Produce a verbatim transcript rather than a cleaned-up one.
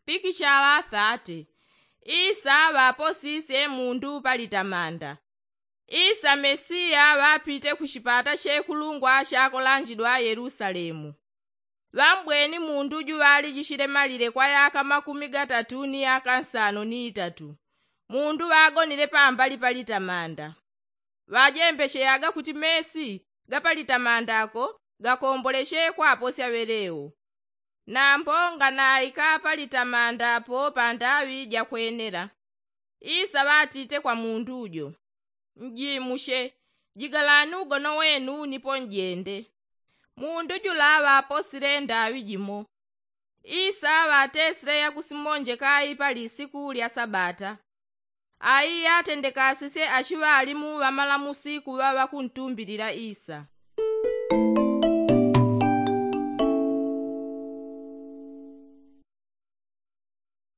Pikichala thate. Isa ŵaposisye mundu palitamanda. Isa mesiya ŵapite ku chipata chekulungwa chakolanjidwa yelusalemu. Ŵambweni mundu ju ŵalijichile malile kwa yaka makumi gatatu ni yaka nsano ni itatu. Mundu ŵagonile pambali palitamanda. Ŵajembecheyaga kuti mesi gapalitamanda ako gakomboleche kwaposya ŵeleo. Nambo nganaika palitamanda apo pandaŵi jakwenela. Isa ŵatite kwa mundu jo, njimuche, jigalani ugono wenu nipo njende. Mundu jula ŵaposile ndaŵi jimo. Isa ŵatesile yakusimonjeka ai pali siku lya sabata. Ai atendekasisye achiŵalimu ŵamalamusi kuŵa ŵakuntumbilila isa.